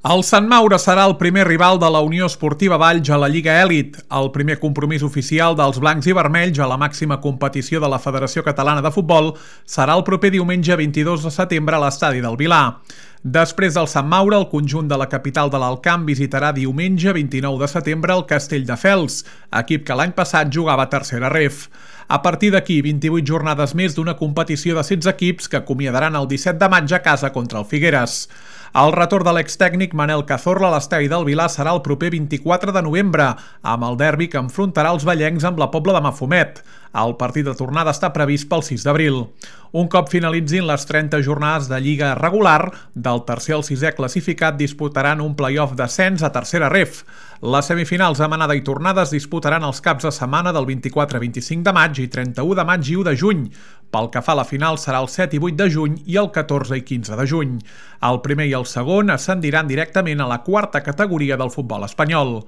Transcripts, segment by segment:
El Sant Maure serà el primer rival de la Unió Esportiva Valls a la Lliga Elit, el primer compromís oficial dels blancs i vermells a la màxima competició de la Federació Catalana de Futbol serà el proper diumenge 22 de setembre a l'estadi del Vilar. Després del Sant Maure, el conjunt de la capital de l'Alt Camp visitarà diumenge 29 de setembre el Castelldefels, equip que l'any passat jugava a tercera ref. A partir d'aquí, 28 jornades més d'una competició de 16 equips que acomiadaran el 17 de maig a casa contra el Figueres. El retorn de l'extècnic Manel Cazorla a l'estadi del Vilar serà el proper 24 de novembre, amb el derbi que enfrontarà els vallencs amb la Pobla de Mafumet. El partit de tornada està previst pel 6 d'abril. Un cop finalitzin les 30 jornades de Lliga regular, del tercer al sisè classificat disputaran un play-off d'ascens a tercera ref. Les semifinals amb anada i tornada es disputaran els caps de setmana del 24-25 de maig i 31 de maig i 1 de juny. Pel que fa a la final serà el 7 i 8 de juny i el 14 i 15 de juny. El primer i el segon ascendiran directament a la quarta categoria del futbol espanyol.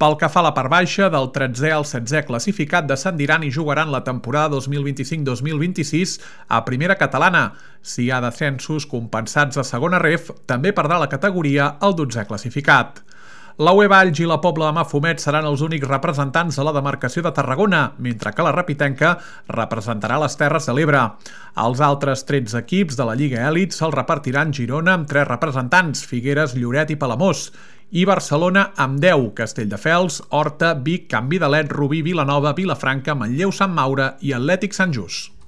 Pel que fa a la part baixa, del 13è al 16è classificat descendiran i jugaran la temporada 2025-2026 a primera catalana. Si hi ha descensos compensats a segona ref, també perdrà la categoria el 12è classificat. La UE Valls i la Pobla de Mafumet seran els únics representants de la demarcació de Tarragona, mentre que la Repitenca representarà les Terres de l'Ebre. Els altres 13 equips de la Lliga Elit se'ls repartiran Girona amb 3 representants, Figueres, Lloret i Palamós, i Barcelona amb 10, Castelldefels, Horta, Vic, Can Vidalet, Rubí, Vilanova, Vilafranca, Manlleu, Sant Maure i Atlètic Sant Just.